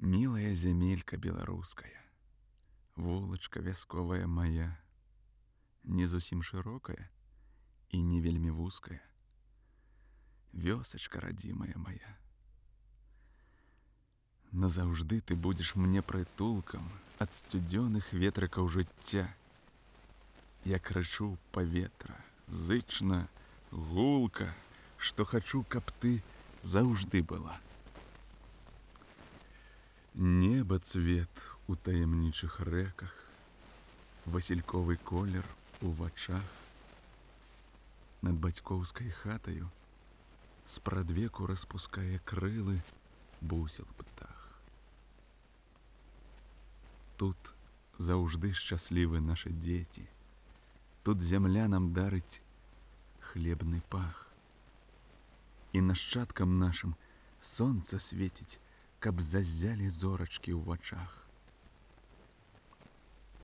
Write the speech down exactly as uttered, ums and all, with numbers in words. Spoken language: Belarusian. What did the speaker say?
Мілая зямелька беларуская, вулачка вясковая моя, не зусім шырокая і не вельмі вузкая, вёсачка радзімая моя. Назаўжды ты будзеш мне прытулкам ад сцюдзёных ветрыкаў жыцця. Я крычу паветра, зычна, гулка, што хачу, каб ты заўжды была. Неба цвет у таямнічых рэках, васільковы колер у вачах. Над бацькоўскай хатаю спрадвеку распускае крылы бусел птах. Тут заўжды шчаслівы нашы дзеці, тут зямля нам дарыць хлебны пах. І нашчадкам нашым сонца свеціць, каб заззялі зорачкі ў вачах.